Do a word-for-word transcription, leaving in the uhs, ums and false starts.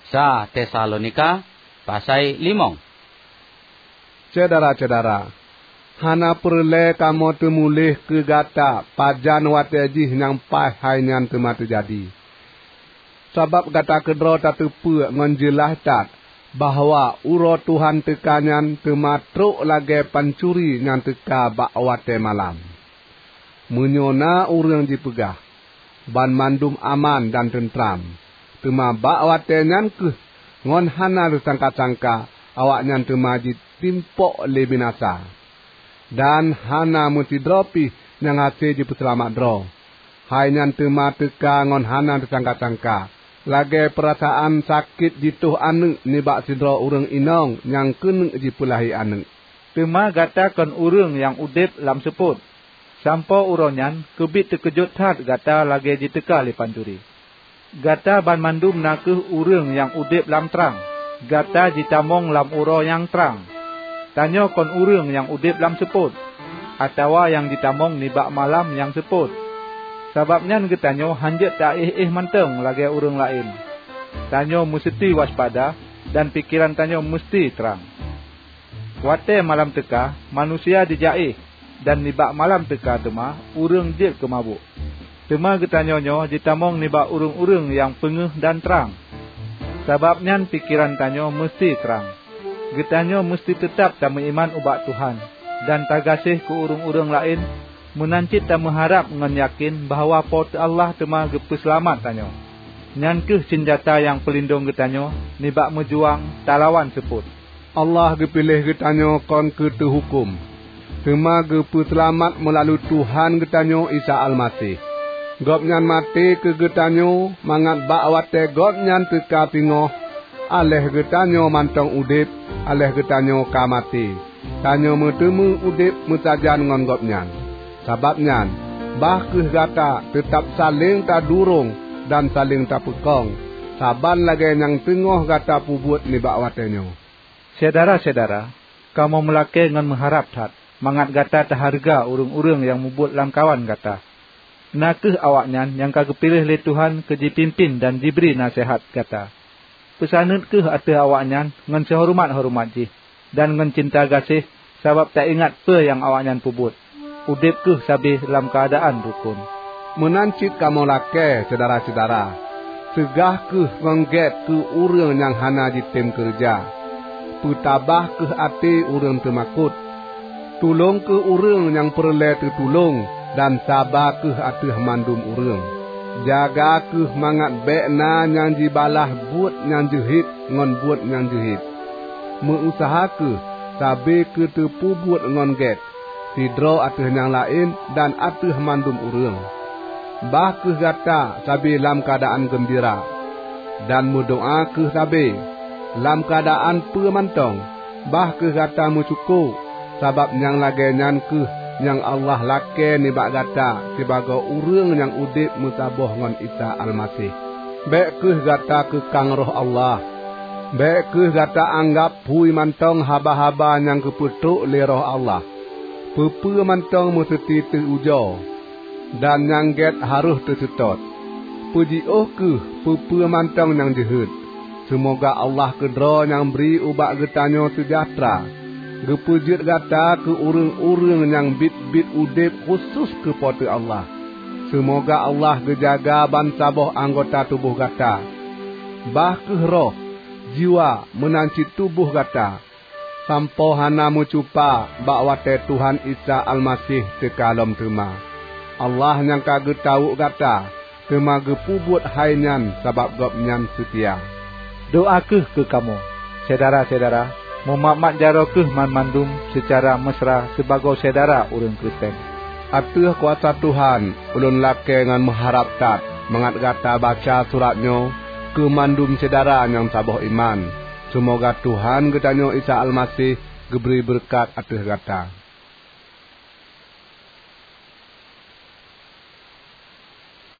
Sa Tesalonika, pasai limong. Syedara-syedara, hana peureulée kamoe teumuléh keu gata pajan watée jih nyang paih hai nyan teuma teujadi. Sabab gata keudroe tateupeue ngon jeulaih that bahwa uroe Tuhan teuka nyan teuma trok lagée pancuri nyang teuka bak watée malam. Meunyoe na ureuëng jipeugah, "Banmandum aman dan teutram," teuma bak watée nyan kheueh ngon hana teusangka-sangka awaknyan teuma jitimpok lé binasa, dan hana meusidroe pih nyang hase jipeuseulamat droe. Hai nyan teuma teuka ngon hana teusangka-sangka, lagée peurasaan sakét jitoh aneuëk nibak sidroe ureuëng inong nyang keuneuk jipeulahé aneuëk. Teuma gata kon ureuëng nyang udeb lam seupôt. Sampoe uroe nyan keubiet teukeujot that gata lagée jiteuka lé pancuri. Gata banmandum na kheueh ureuëng nyang udeb lam trang. Gata jitamong lam uroe nyang trang. Tanyoe kon ureuëng nyang udeb lam seupôt, atawa nyang jitamong nibak malam nyang seupôt. Sabab nyan geutanyoe hanjeuet taéh-éh mantong lagée ureuëng laén. Tanyoe meuseuti waspada dan pikeran tanyoe meuseuti trang. Watée malam teuka, manusia jijaéh, dan nibak malam teuka teuma ureuëng jeuet keu mabök. Teuma geutanyoe nyoe jitamong nibak ureuëng-ureuëng nyang peungéh dan trang. Sabab nyan pikeran tanyoe meuseuti trang. Geutanyoe meuseuti teutab tameuiman ubak Tuhan dan tagaséh keu ureuëng-ureuëng laén, meunan cit tameuharab ngon yakén bahwa Po teu Allah teuma geupeuseulamat tanyoe. Nyan kheueh sinjata nyang peulindong geutanyoe nibak meujuang talawan seupôt. Allah geupiléh geutanyoe kon keu teuhuköm, teuma geupeuseulamat meulalu Tuhan geutanyoe Isa Almaseh. Gobnyan maté keu geutanyoe mangat bak watée Gobnyan teuka singoh, aléh geutanyoe mantong udeb, aléh geutanyoe ka maté, tanyoe meuteumé udeb meusajan ngon Gobnyan. Sabab nyan, bah kheueh gata teutab saléng tadurong dan saléng tapeukong, saban lagée nyang teungoh gata peubuet nibak watée nyoe. Syedara-syedara, kamoe meulakée ngon meuharab that mangat gata tahareuga ureuëng-ureuëng nyang mubuet lamkawan gata, na kheueh awaknyan nyang ka geupiléh lé Tuhan keu jipimpén dan jibri naseuhat gata. Peusaneut kheueh ateueh awaknyan ngon seuhoreumat-horeumat jih dan ngon cinta gaséh, sabab taingat peue nyang awaknyan peubuet. Udeb kheueh sabe lam keuadaan rukon. Meunan cit kamoe lakée, syedara-syedara, seugah kheueh ngon gét keu ureuëng nyang hana jitem keureuja. Peutabah kheueh até ureuëng teumakot. Tulông kheueh ureuëng nyang peureulée teutulông dan saba kheueh ateueh mandum ureuëng. Jaga kheueh mangat bék na nyang jibalaih buet nyang jeuhet ngon buet nyang jeuhet. Meu-useuha kheueh sabe keuteupeubuet ngon gét, sidroe ateueh nyang laén dan ateueh mandum ureuëng. Bah kheueh gata sabe lam keuadaan geumbira, dan meudoá kheueh sabe. Lam keuadaan peue mantong, bah kheueh gata meusyukoe, sabab nyang lagée nyan kheueh nyang Allah lakée nibak gata sibagoe ureuëng nyang udeb meusaboh ngon Isa Almaseh. Bék kheueh gata keukang Roh Allah. Bék kheueh gata anggab phui mantong haba-haba nyang geupeutrok lé Roh Allah. Peue-peue mantong meuseuti teu-ujoe, dan nyang gét harôh teuseutôt. Peujiôh kheueh peue-peue mantong nyang jeuhet. Seumoga Allah keudroe nyang bri ubak geutanyoe seujahteura, geupeujeuet gata keu ureuëng-ureuëng nyang biet-biet udeb khusos keu Po teu Allah. Seumoga Allah geujaga bansaboh anggota tuboh gata, bah kheueh roh, jiwa meunan cit tuboh gata, sampoe hana meucupa bak watée Tuhan Isa Almaseh teuka lom teuma. Allah nyang ka geutawök gata, teuma geupeubuet hai nyan sabab Gobnyan seutia. Doá kheueh keu kamoe, syedara-syedara, meumat-mat jaroe kheueh banmandum seucara meusra sibagoe syedara ureuëng Kristen. Ateueh kuasa Tuhan, ulôn lakée ngon meuharab that mangat gata baca surat nyoe keu mandum syedara nyang saboh iman. Seumoga Tuhan geutanyoe Isa Almaseh geubri beureukat ateueh gata.